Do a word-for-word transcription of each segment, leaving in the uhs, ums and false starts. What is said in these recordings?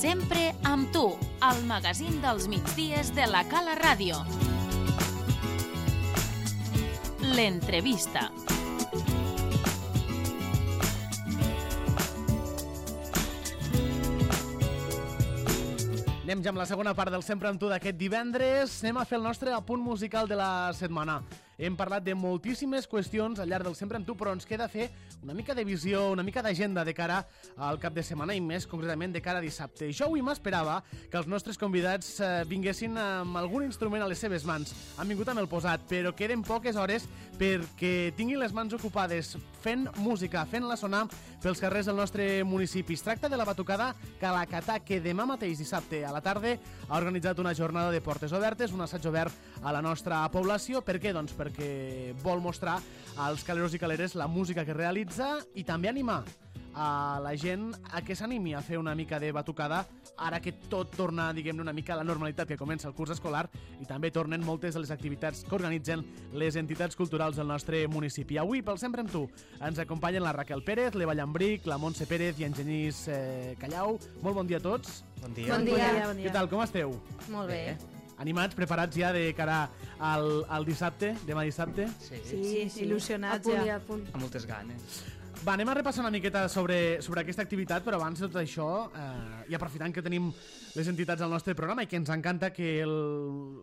Sempre amb tu, al magazín dels migdies de la Cala Ràdio. L'entrevista. Anem ja amb la segona part del Sempre amb tu d'aquest divendres. Anem a fer el nostre apunt musical de la setmana. Hem parlat de moltíssimes qüestions al llarg del Sempre amb tu, però ens queda fer una mica de visió, una mica d'agenda de cara al cap de setmana i més concretament de cara a dissabte. Jo avui m'esperava que els nostres convidats eh, vinguessin amb algun instrument a les seves mans. Han vingut amb el posat, però queden poques hores perquè tinguin les mans ocupades fent música, fent-la sonar pels carrers del nostre municipi. Es tracta de la batucada Calacatà, que demà mateix dissabte a la tarda ha organitzat una jornada de portes obertes, un assaig obert a la nostra població. Per què? Doncs perquè vol mostrar als caleros i caleres la música que realitza i també animar a la gent a que s'animi a fer una mica de batucada ara que tot torna, diguem-ne, una mica a la normalitat, que comença el curs escolar i també tornen moltes de les activitats que organitzen les entitats culturals del nostre municipi. Avui, pel Sempre amb tu, ens acompanyen la Raquel Pérez, l'Eva Llambric, la Montse Pérez i en Genís eh, Callau. Molt bon dia a tots. Bon dia. Bon dia. Bon dia. Què tal, com esteu? Molt bé. Bé. Animats, preparats ja de cara al, al dissabte, demà dissabte? Sí, Sí, sí, il·lusionats a punt ja. i a punt. amb moltes ganes. Va, anem a repassar una miqueta sobre, sobre aquesta activitat, però abans de tot això, eh, i aprofitant que tenim les entitats al nostre programa i que ens encanta que el,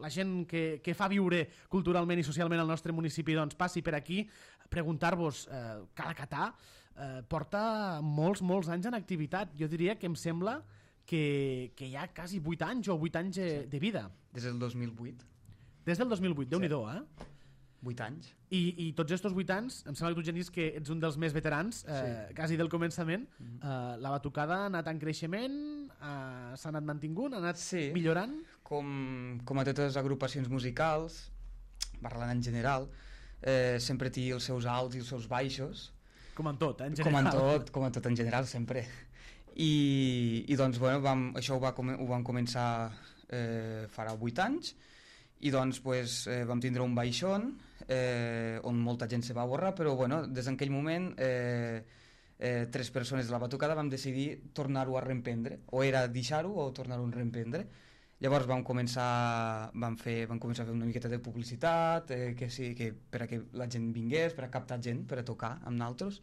la gent que, que fa viure culturalment i socialment el nostre municipi doncs, passi per aquí, preguntar-vos, eh, Calacatà eh, porta molts, molts anys en activitat. Jo diria que em sembla que, que hi ha quasi vuit anys o vuit anys de, de vida. Des del dos mil vuit. Des del dos mil vuit, Déu-n'hi-do, eh? vuit anys. I, i tots estos vuit anys, em sembla que tu, Genís, que ets un dels més veterans, eh, Sí. quasi del començament. eh, la batucada ha anat en creixement, eh, s'ha anat mantingut, ha anat Sí. millorant. Com, com a totes les agrupacions musicals, parlant en general, eh, sempre té els seus alts i els seus baixos. Com en tot, eh, en Com en general. tot, com en tot en general, sempre. I, i doncs, bueno, vam, això ho, va, come- ho vam començar eh, farà vuit anys, i doncs pues, eh, vam tindre un baixón eh, on molta gent se va borrar, però bueno, des d'aquell moment eh, eh, tres persones de la batucada vam decidir tornar-ho a reemprendre, o era deixar-ho o tornar-ho a reemprendre. Llavors vam començar, vam, fer, vam començar a fer una miqueta de publicitat, eh, que sí, que per a que la gent vingués, per a captar gent, per a tocar amb naltros,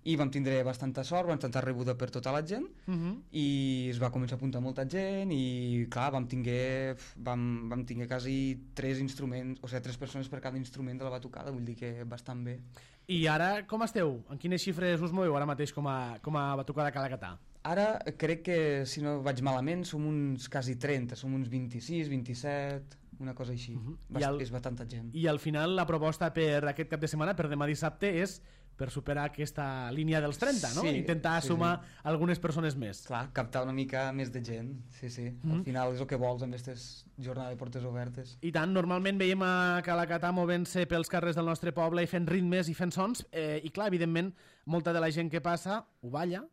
i vam tindre bastanta sort, vam estar rebuda per tota la gent, Uh -huh. i es va començar a apuntar molta gent i clar, vam tinguer, vam, vam tinguer quasi tres instruments, o sigui, tres persones per cada instrument de la batucada, vull dir que bastant bé. I ara, com esteu? En quines xifres us moveu ara mateix com a, com a batucada Calacatà? Ara crec que, si no vaig malament, som uns quasi trenta, som uns vint-i-sis, vint-i-set, una cosa així. Mhm. Bast I el- És bastanta gent. I al final la proposta per aquest cap de setmana, per demà dissabte, és per superar aquesta línia dels trenta, no? Sí, Intentar sí, sumar algunes persones més. Clar, captar una mica més de gent, sí, sí. Mhm. Al final és el que vols amb aquestes jornades de portes obertes. I tant, normalment veiem a Calacatà movent-se pels carrers del nostre poble i fent ritmes i fent sons, eh, i clar, evidentment, molta de la gent que passa ho balla,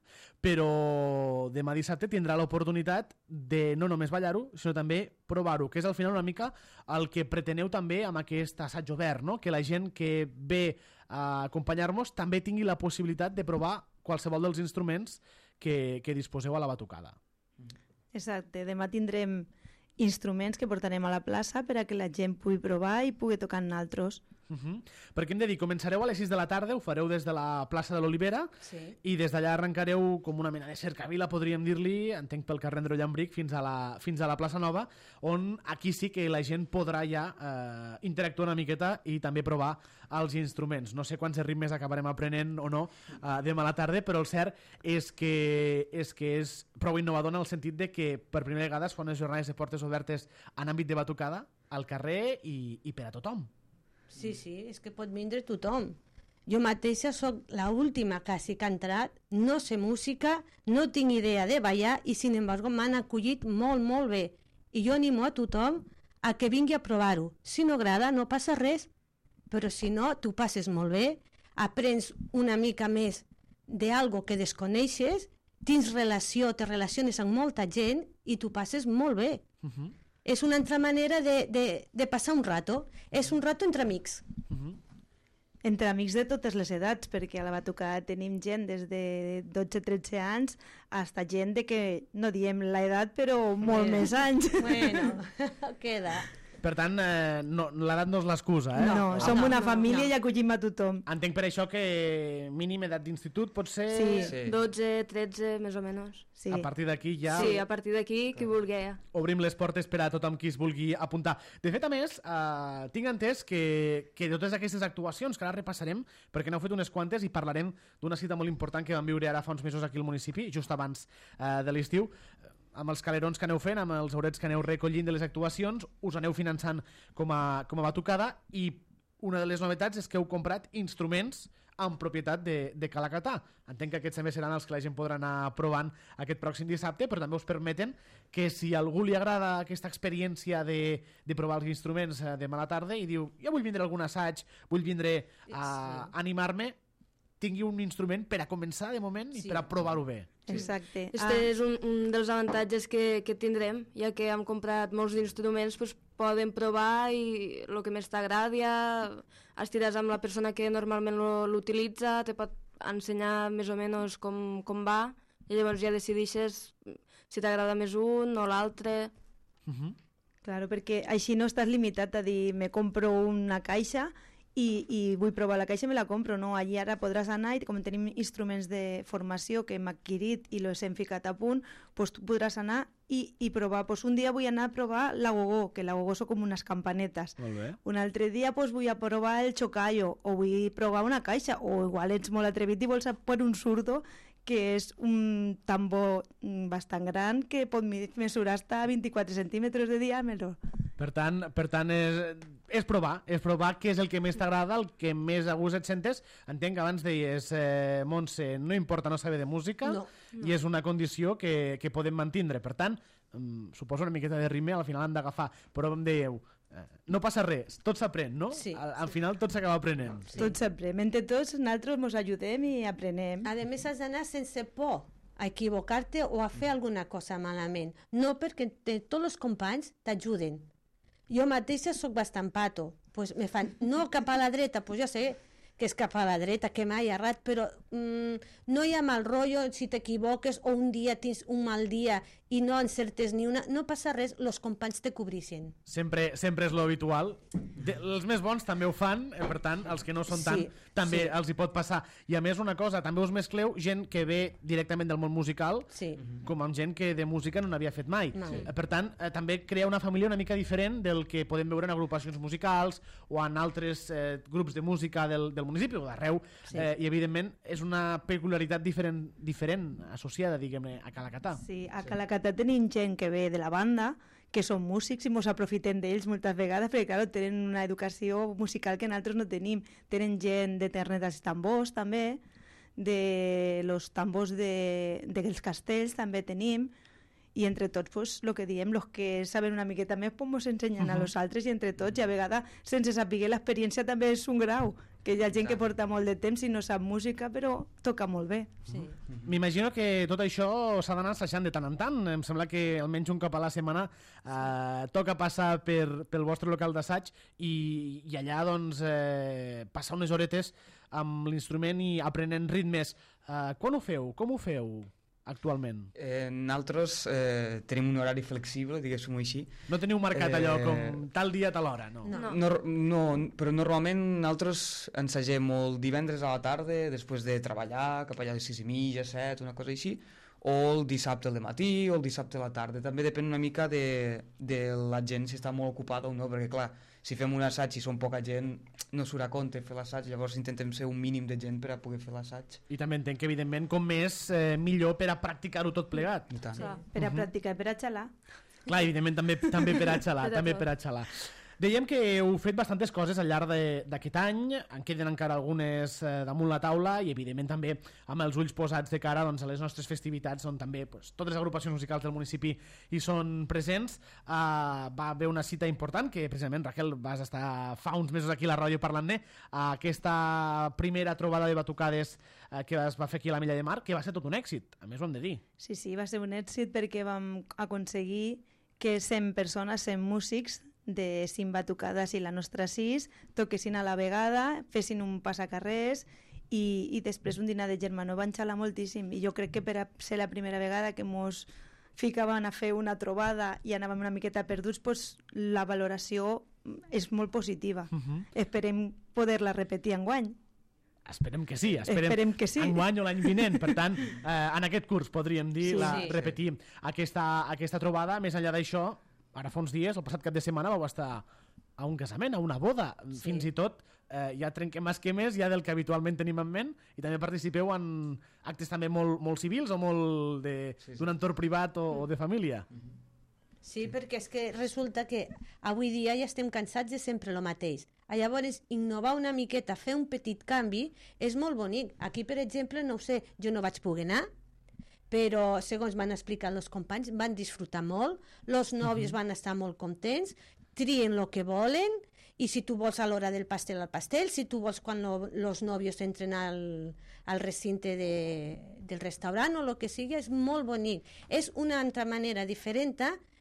però demà dissabte tindrà l'oportunitat de no només ballar-ho, sinó també provar-ho, que és al final una mica el que preteneu també amb aquest assaig obert, no? Que la gent que ve a acompanyar-nos també tingui la possibilitat de provar qualsevol dels instruments que, que disposeu a la batucada. Exacte, demà tindrem instruments que portarem a la plaça per a que la gent pugui provar i pugui tocar amb naltros. Uh -huh. Perquè hem de dir, començareu a les sis de la tarda, ho fareu des de la plaça de l'Olivera, Sí. i des d'allà arrencareu com una mena de cercavila, podríem dir-li, entenc pel carrer Andreu Llambric, fins a la, fins a la plaça Nova, on aquí sí que la gent podrà ja eh, interactuar una miqueta i també provar els instruments. No sé quants ritmes acabarem aprenent o no eh, demà a la tarda, però el cert és que, és que és prou innovador en el sentit de que per primera vegada es fan unes jornades de portes obertes en àmbit de batucada al carrer i, i per a tothom. Sí, sí, és que pot vindre tothom. Jo mateixa sóc la última quasi que ha entrat, no sé música, no tinc idea de ballar i sin embargo m'han acollit molt, molt bé. I jo animo a tothom a que vingui a provar-ho. Si no agrada, no passa res, però si no, tu passes molt bé, aprens una mica més d'algo que desconeixes, tens relació, te relaciones amb molta gent i tu passes molt bé. Uh-huh. És una altra manera de, de, de passar un rato. És un rato entre amics. Uh-huh. entre amics de totes les edats, perquè a la batucada tenim gent des de dotze tretze anys hasta gent de que, no diem l'edat, però molt Bueno. més anys. Bueno, queda. Per tant, eh, no, l'edat no és l'excusa, eh? No, no, som no, una no, família no. i acollim a tothom. Entenc per això que mínim edat d'institut pot ser... Sí. Sí. dotze, tretze, més o menys. Sí. A partir d'aquí ja... Sí, a partir d'aquí, qui vulgui. obrim les portes per a tothom qui es vulgui apuntar. De fet, a més, eh, tinc entès que, que de totes aquestes actuacions, que ara repassarem, perquè n'heu fet unes quantes i parlarem d'una cita molt important que vam viure ara fa uns mesos aquí al municipi, just abans eh, de l'estiu, amb els calerons que aneu fent, amb els aurets que aneu recollint de les actuacions, us aneu finançant com a, com a batucada, i una de les novetats és que heu comprat instruments en propietat de, de Calacatà. Entenc que aquests també seran els que la gent podrà anar provant aquest pròxim dissabte, però també us permeten que si a algú li agrada aquesta experiència de, de provar els instruments eh, demà a la tarda i diu, ja vull vindre a algun assaig, vull vindre a Sí. animar-me, tingui un instrument per a començar de moment i Sí. per a provar-ho bé. Exacte. Este és un, un dels avantatges que, que tindrem, ja que hem comprat molts instruments, pues, poden provar i el que més t'agradi, estiràs amb la persona que normalment lo- l'utilitza, te pot ensenyar més o menys com, com va, i llavors ja decidixes si t'agrada més un o l'altre. Uh -huh. Claro, perquè així no estàs limitat a dir me compro una caixa i, i vull provar la caixa i me la compro, no? Allí ara podràs anar i com tenim instruments de formació que hem adquirit i els hem ficat a punt, doncs tu podràs anar i, i provar. Pues un dia vull anar a provar la gogó, que la gogó són com unes campanetes. Molt bé. Un altre dia pues, vull a provar el chocayo o vull provar una caixa, o igual ets molt atrevit i vols per un surdo que és un tambor mm, bastant gran que pot mi- mesurar hasta vint-i-quatre centímetres de diàmetre. Per tant, per tant és, és provar, és provar què és el que més t'agrada, el que més a gust et sentes. Entenc que abans deies, eh, Montse, no importa no saber de música, No, i és una condició que, que podem mantindre. Per tant, mm, suposo una miqueta de rime al final hem d'agafar, però em dèieu, eh, no passa res, tot s'aprèn, no? Sí, al, al sí. final tot s'acaba aprenent. Sí. Tot s'aprèn. Entre tots nosaltres ens ajudem i aprenem. A més, has d'anar sense por a equivocar-te o a fer alguna cosa malament. No perquè te, tots els companys t'ajuden. Jo mateixa sóc bastant pato. Pues me fan, no cap a la dreta, pues ja sé que és cap a la dreta, que mai errat, però mm, no hi ha mal rotllo si t'equivoques o un dia tens un mal dia i no encertes ni una, no passa res, els companys te cobrixen. Sempre, sempre és lo habitual. De, els més bons també ho fan, eh, per tant, els que no són tant, Sí, també sí. els hi pot passar. I a més, una cosa, també us mescleu gent que ve directament del món musical, Sí. com amb gent que de música no n'havia fet mai. Mai. Eh, Per tant, eh, també crea una família una mica diferent del que podem veure en agrupacions musicals o en altres eh, grups de música del, del municipi o d'arreu, Sí. eh, i evidentment és una peculiaritat diferent, diferent associada, diguem-ne, a Calacatà. Sí, a Calacatà tenim gent que ve de la banda, que són músics i ens aprofitem d'ells moltes vegades perquè, clar, tenen una educació musical que nosaltres no tenim. Tenen gent de ternetes i tambors, també, de los tambors de, dels castells també tenim, i entre tots, pues, lo que diem, los que saben una miqueta més, pues, mos ensenyen a los altres, i entre tots, i a vegades, sense saber l'experiència també és un grau, que hi ha gent que porta molt de temps i no sap música, però toca molt bé. Sí. M'imagino que tot això s'ha d'anar assajant de tant en tant. Em sembla que almenys un cop a la setmana eh, toca passar per, pel vostre local d'assaig i, i allà doncs, eh, passar unes horetes amb l'instrument i aprenent ritmes. Eh, quan ho feu? Com ho feu actualment? Eh, nosaltres eh, tenim un horari flexible, diguéssim-ho així. No teniu marcat Eh, allò com tal dia, tal hora, no? No. No, no, però normalment nosaltres ensagem el divendres a la tarda, després de treballar, cap allà a les sis i mitja, set, una cosa així, o el dissabte al matí o el dissabte a la tarda. També depèn una mica de, de la gent si està molt ocupada o no, perquè clar, si fem un assaig i som poca gent, no surt a compte fer l'assaig, llavors intentem ser un mínim de gent per a poder fer l'assaig. I també entenc que, evidentment, com més, eh, millor per a practicar-ho tot plegat. I tant. Clar. Per a practicar, per a xalar. Clar, evidentment, també, també per a xalar, Per a també tot. per a xalar. Dèiem que heu fet bastantes coses al llarg de- d'aquest any, en queden encara algunes eh, damunt la taula i, evidentment, també amb els ulls posats de cara doncs, a les nostres festivitats, on també pues, totes les agrupacions musicals del municipi hi són presents. Uh, va haver una cita important, que precisament, Raquel, vas estar fa uns mesos aquí a la ràdio parlant-ne, uh, aquesta primera trobada de batucades uh, que es va fer aquí a la Milla de Mar, que va ser tot un èxit, a més ho hem de dir. Sí, sí, va ser un èxit perquè vam aconseguir que cent persones, cent músics de cinc batucades i la nostra sis, toquessin a la vegada, fessin un passacarrers i, i després un dinar de germanor van xalar moltíssim i jo crec que per a ser la primera vegada que mos ficaven a fer una trobada i anàvem una miqueta perduts, pues, la valoració és molt positiva. Uh-huh. Esperem poder-la repetir enguany. Esperem que sí, esperem, esperem que sí. enguany o l'any vinent. Per tant, eh, en aquest curs podríem dir, Sí, la, sí. repetir aquesta, aquesta trobada. Més enllà d'això, ara fa uns dies, el passat cap de setmana, vau estar a un casament, a una boda. Sí. Fins i tot eh, ja trenquem esquemes ja del que habitualment tenim en ment i també participeu en actes també molt, molt civils o molt d'un sí, sí. entorn privat o, o de família. Sí, perquè és que resulta que avui dia ja estem cansats de sempre el mateix. Llavors, innovar una miqueta, fer un petit canvi, és molt bonic. Aquí, per exemple, no ho sé, jo no vaig poder anar, però segons van explicar els companys, van disfrutar molt, els nòvios uh-huh. van estar molt contents, trien el que volen, i si tu vols a l'hora del pastel al pastel, si tu vols quan els nòvios entren al, al recinte de, del restaurant o el que sigui, és molt bonic. És una altra manera diferent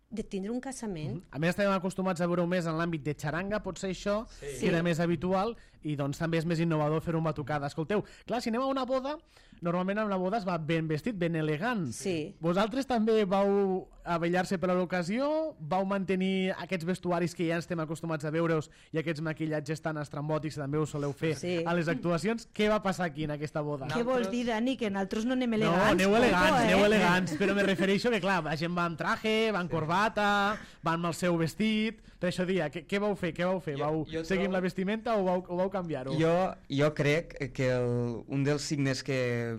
de tindre un casament. A més, estem acostumats a veure-ho més en l'àmbit de xaranga, potser això Sí. que era més habitual, i doncs també és més innovador fer una batucada. Escolteu, clar, si anem a una boda, normalment a una boda es va ben vestit, ben elegant. Sí. Vosaltres també vau avellar-se per a l'ocasió? Vau mantenir aquests vestuaris que ja estem acostumats a veure-us i aquests maquillatges tan estrambòtics que també us soleu fer Sí. a les actuacions? Què va passar aquí en aquesta boda? Què vols dir, Dani? Que nosaltres no anem No, elegants? aneu Ojo, elegants, eh? aneu elegants, però me refereixo que, clar, la gent va amb traje, va amb corbata, va amb el seu vestit, per això dia, què, què vau fer? Què vau fer? Jo- Vau jo seguir amb trobo- la vestimenta o vau, o vau canviar-ho? Jo, jo crec que el, un dels signes que,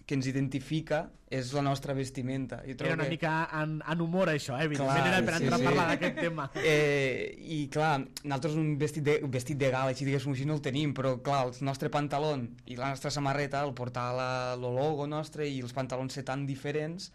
que ens identifica és la nostra vestimenta. Jo trobo Era una que... mica en, en humor, això, eh? Evidentment, Clar, era per sí, entrar sí. a parlar d'aquest tema. Eh, I clar, nosaltres un vestit de, un vestit de gala, així diguéssim així, no el tenim, però clar, el nostre pantaló i la nostra samarreta, el portar la, el logo nostre i els pantalons ser tan diferents,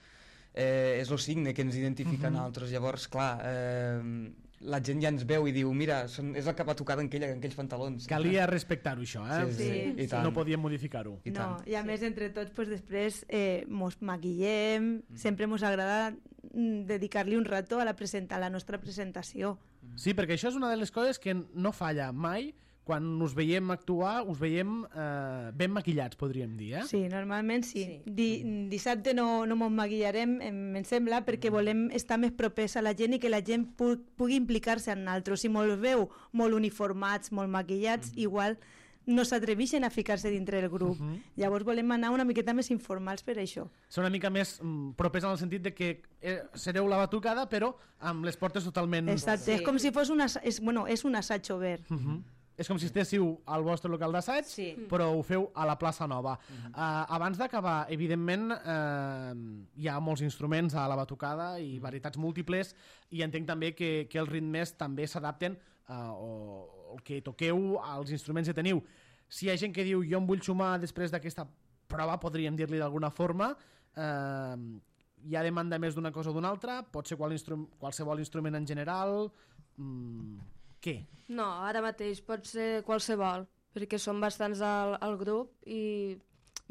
eh, és el signe que ens identifica uh-huh. a nosaltres. Llavors, clar, eh, la gent ja ens veu i diu, mira, són, és la que va tocar en aquells pantalons. Calia respectar-ho, això, eh? Sí, sí, Sí, i sí. tant. No podíem modificar-ho. I No, tant. i a més, entre tots, pues, després eh, mos maquillem, mm. sempre mos agrada mm, dedicar-li un rato a la, presenta, a la nostra presentació. Sí, perquè això és una de les coses que no falla mai. Quan us veiem actuar, us veiem eh, ben maquillats, podríem dir, eh? Sí, normalment sí. Sí. Di, dissabte no, no mos maquillarem, em, em sembla, perquè volem estar més propers a la gent i que la gent pu pugui implicar-se en nosaltres. Si molt veu molt uniformats, molt maquillats, mm. igual no s'atreveixen a ficar-se dintre del grup. Uh -huh. Llavors volem anar una miqueta més informals per això. Són una mica més mm, propers en el sentit de que eh, sereu la batucada, però amb les portes totalment... Exacte, Sí. és com si fos un, assa és, bueno, és un assaig obert. Uh -huh. És com si estéssiu al vostre local d'assaig, Sí. però ho feu a la plaça Nova. Uh-huh. uh, abans d'acabar, evidentment, uh, hi ha molts instruments a la batucada i varietats múltiples, i entenc també que, que els ritmes també s'adapten uh, o el que toqueu als instruments que teniu. Si hi ha gent que diu jo em vull sumar després d'aquesta prova, podríem dir-li d'alguna forma, uh, hi ha demanda més d'una cosa o d'una altra, pot ser qual instru qualsevol instrument en general... Mm, què? No, ara mateix pot ser qualsevol, perquè som bastants al, al grup i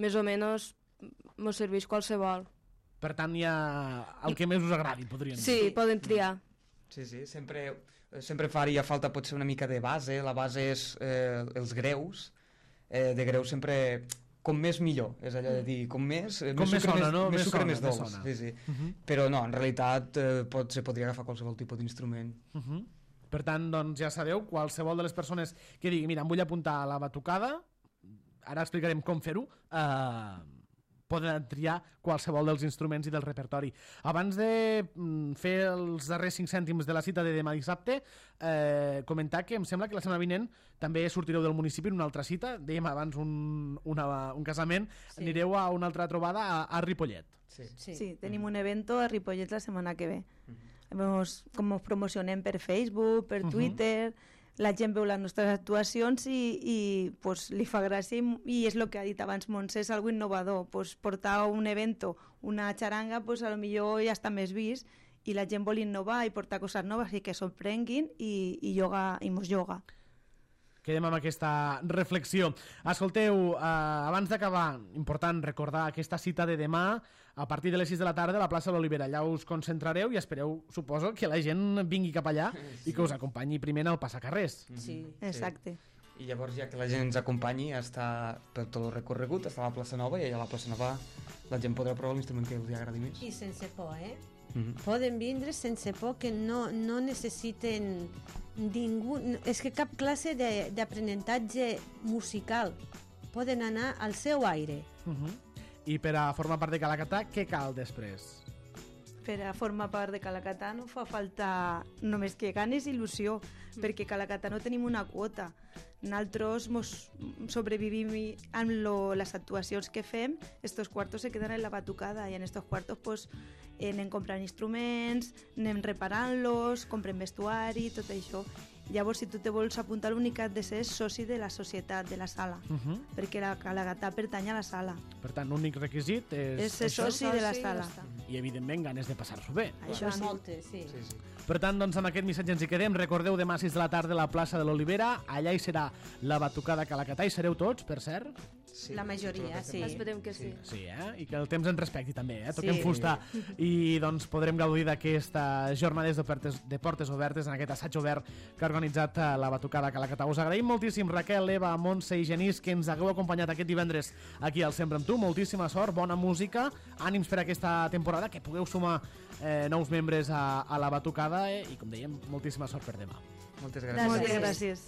més o menys mos serveix qualsevol. Per tant, hi ha el que més us agradi, podríem dir. Sí, poden triar. Sí, sí, sempre, sempre faria falta potser una mica de base. La base és eh, els greus. Eh, de greus sempre... Com més millor, és allò de dir, com més... Eh, Com més sucre, sona, no? Més Més sucre, sona, més més dolç. sona. Sí, sí. Uh -huh. Però no, en realitat eh, pot, se podria agafar qualsevol tipus d'instrument. Uh -huh. Per tant, doncs ja sabeu, qualsevol de les persones que digui, mira, em vull apuntar a la batucada, ara explicarem com fer-ho, eh, poden triar qualsevol dels instruments i del repertori. Abans de mm, fer els darrers cinc cèntims de la cita de demà dissabte, eh, comentar que em sembla que la setmana vinent també sortireu del municipi en una altra cita, dèiem abans un, una, un casament, Sí. anireu a una altra trobada a, a Ripollet. Sí. Sí. Sí, tenim un evento a Ripollet la setmana que ve. Vemos com ens promocionem per Facebook, per Twitter, la gent veu les nostres actuacions i, i pues, li fa gràcia i, i és el que ha dit abans Montse, és algo innovador. Pues, portar un evento, una xaranga, pues, a lo millor ja està més vist i la gent vol innovar i portar coses noves i que sorprenguin i, i, yoga, i mos yoga. Que quedem amb aquesta reflexió. Escolteu, eh, abans d'acabar, important recordar aquesta cita de demà a partir de les sis de la tarda a la plaça de l'Olivera. Allà us concentrareu i espereu, suposo, que la gent vingui cap allà sí. i que us acompanyi primer en el passacarrers. Sí. Exacte. I llavors, ja que la gent ens acompanyi, està per tot el recorregut, està a la plaça Nova, i allà a la plaça Nova la gent podrà provar l'instrument que els agradi més. I sense por, eh? Mm-hmm. Poden vindre sense por, que no, no necessiten ningú... És que cap classe d'aprenentatge musical. Poden anar al seu aire. Uh-huh. I per a formar part de Calacatà, què cal després? Per a formar part de Calacatà no fa falta només que ganes i il·lusió, mm. perquè Calacatà no tenim una quota. Nosaltres mos sobrevivim amb lo, les actuacions que fem, estos quartos se queden en la batucada i en estos quartos pues, eh, anem comprant instruments, anem reparant-los, comprem vestuari, tot això. Llavors, si tu te vols apuntar, l'únic de ser soci de la societat, de la sala, uh-huh. perquè la Calacatà pertany a la sala. Per tant, l'únic requisit és... És ser soci de la sala. I, evidentment, ganes de passar-s'ho bé. Això sí. Moltes, sí. Sí, sí. Per tant, doncs, amb aquest missatge ens hi quedem. Recordeu, demà a sis de la tarda a la plaça de l'Olivera. Allà hi serà la batucada Calacatà. Hi sereu tots, per cert? Sí. La majoria, sí. Esperem que sí. Sí, eh? I que el temps ens respecti també, eh? Toquem Sí. fusta. I doncs podrem gaudir d'aquestes jornades de portes, de portes obertes en aquest assaig obert que ha organitzat la batucada Calacatà. Us agraïm moltíssim, Raquel, Eva, Montse i Genís, que ens hagueu acompanyat aquest divendres aquí al Sempre amb tu. Moltíssima sort, bona música, ànims per aquesta temporada, que pugueu sumar eh, nous membres a, a la batucada eh? I, com dèiem, moltíssima sort per demà. Moltes gràcies. Moltes gràcies.